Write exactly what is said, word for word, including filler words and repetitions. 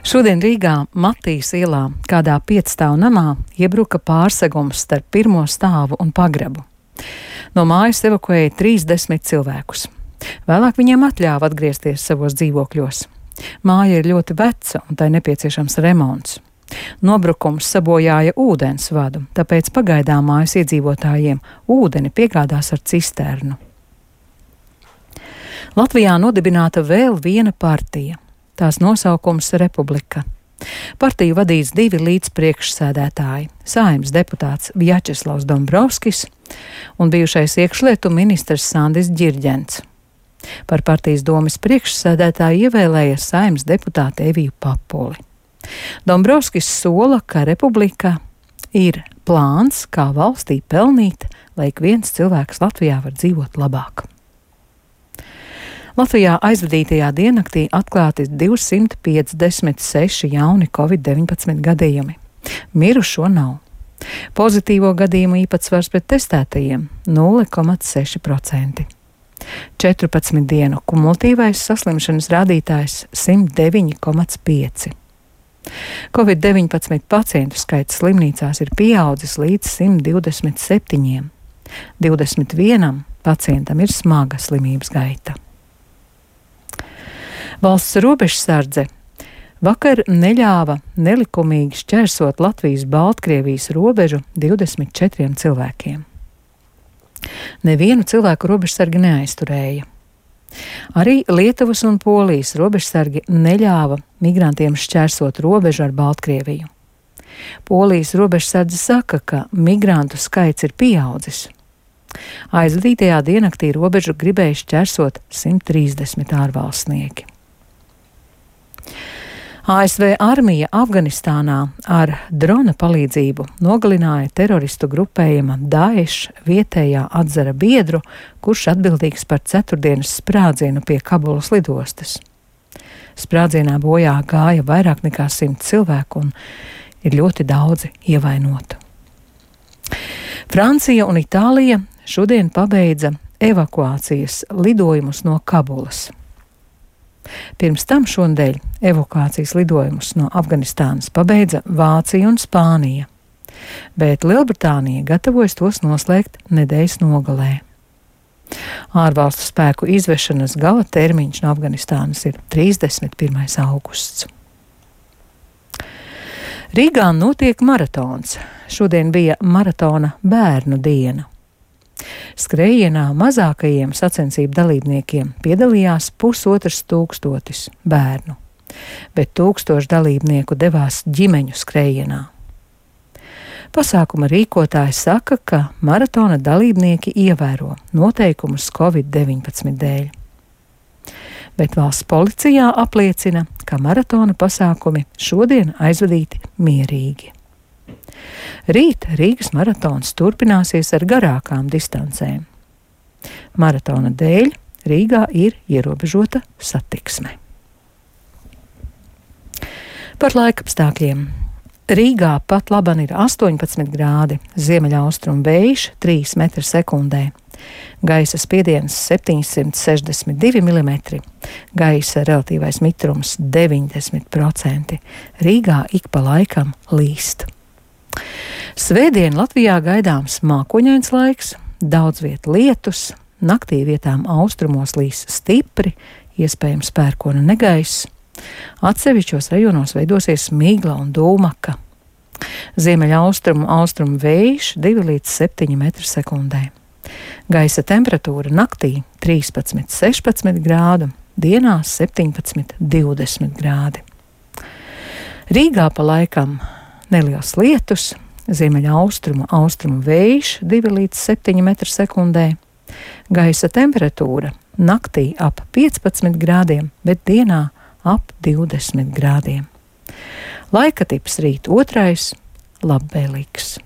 Šodien Rīgā Matīs ielā kādā piecstāvu namā iebruka pārsegums starp pirmo stāvu un pagrabu. No mājas evakuēja trīsdesmit cilvēkus. Vēlāk viņiem atļāva atgriezties savos dzīvokļos. Māja ir ļoti veca un tai nepieciešams remonts. Nobrukums sabojāja ūdens vadu, tāpēc pagaidām mājas iedzīvotājiem ūdeni piegādās ar cisternu. Latvijā nodibināta vēl viena partija. Tās nosaukums Republika. Partiju vadīs divi līdzpriekšsēdētāji - Saeimas deputāts Vjačeslavs Dombrovskis un bijušais iekšlietu ministrs Sandis Ģirģents. Par partijas domes priekšsēdētāju ievēlēja Saeimas deputāte Eviju Papuli. Dombrovskis sola, ka Republika ir plāns, kā valstī pelnīt, lai ik viens cilvēks Latvijā var dzīvot labāk. Latvijā aizvadītajā diennaktī atklāti divsimt piecdesmit seši jauni covid deviņpadsmit gadījumi. Mirušo nav. Pozitīvo gadījumu īpatsvars pret testētajiem - nulle komats seši procenti. četrpadsmit dienu kumulatīvais saslimšanas rādītājs - simt deviņi komats pieci. covid deviņpadsmit pacientu skaits slimnīcās ir pieaudzis līdz simt divdesmit septiņiem. divdesmit vienam pacientam ir smaga slimības gaita. Valsts robežsardze vakar neļāva nelikumīgi šķērsot Latvijas-Baltkrievijas robežu divdesmit četriem cilvēkiem. Nevienu cilvēku robežsargi neaizturēja. Arī Lietuvas un Polijas robežsargi neļāva migrantiem šķērsot robežu ar Baltkrieviju. Polijas robežsardze saka, ka migrantu skaits ir pieaudzis. Aizvadītajā diennaktī robežu gribēja šķērsot simt trīsdesmit ārvalstnieki. A S V armija Afganistānā ar drona palīdzību nogalināja teroristu grupējuma Daesh vietējā atzara biedru, kurš atbildīgs par ceturtdienas sprādzienu pie Kabulas lidostas. Sprādzienā bojā gāja vairāk nekā simt cilvēku un ir ļoti daudzi ievainoti. Francija un Itālija šodien pabeidza evakuācijas lidojumus no Kabulas. Pirms tam šonadēļ evakuācijas lidojumus no Afganistānas pabeidza Vācija un Spānija, bet Lielbritānija gatavojas tos noslēgt nedēļas nogalē. Ārvalstu spēku izvešanas gala termiņš no Afganistānas ir trīsdesmit pirmais augusts. Rīgā notiek maratons. Šodien bija maratona bērnu diena. Skrējienā mazākajiem sacensību dalībniekiem piedalījās pusotrs tūkstotis bērnu, bet tūkstoši dalībnieku devās ģimeņu skrējienā. Pasākuma rīkotāji saka, ka maratona dalībnieki ievēro noteikumus covid deviņpadsmit dēļ. Bet valsts policijā apliecina, ka maratona pasākumi šodien aizvadīti mierīgi. Rīt Rīgas maratons turpināsies ar garākām distancēm. Maratona dēļ Rīgā ir ierobežota satiksme. Par laikapstākļiem. Rīgā pat laban ir astoņpadsmit grādi, ziemeļaustrumu vējš trīs metri sekundē. Gaisa spiediens septiņsimt sešdesmit divi milimetri, gaisa relatīvais mitrums deviņdesmit procenti. Rīgā ik pa laikam līst. Svētdien Latvijā gaidāms mākoņains laiks, daudz viet lietus, naktī vietām austrumos līs stipri, iespējams pērkona negaiss. Atsevišķos rajonos veidosies migla un dūmaka. Ziemeļaustrumu austrumu vējš divi līdz septiņi metri sekundē. Gaisa temperatūra naktī trīspadsmit sešpadsmit grādu, dienās septiņpadsmit divdesmit grādi. Rīgā pa laikam neliels lietus, ziemeļaustrumu austrumu vējš divi līdz septiņi metri sekundē. Gaisa temperatūra naktī ap piecpadsmit grādiem, bet dienā ap divdesmit grādiem. Laika tips rīt otrais - labvēlīgs.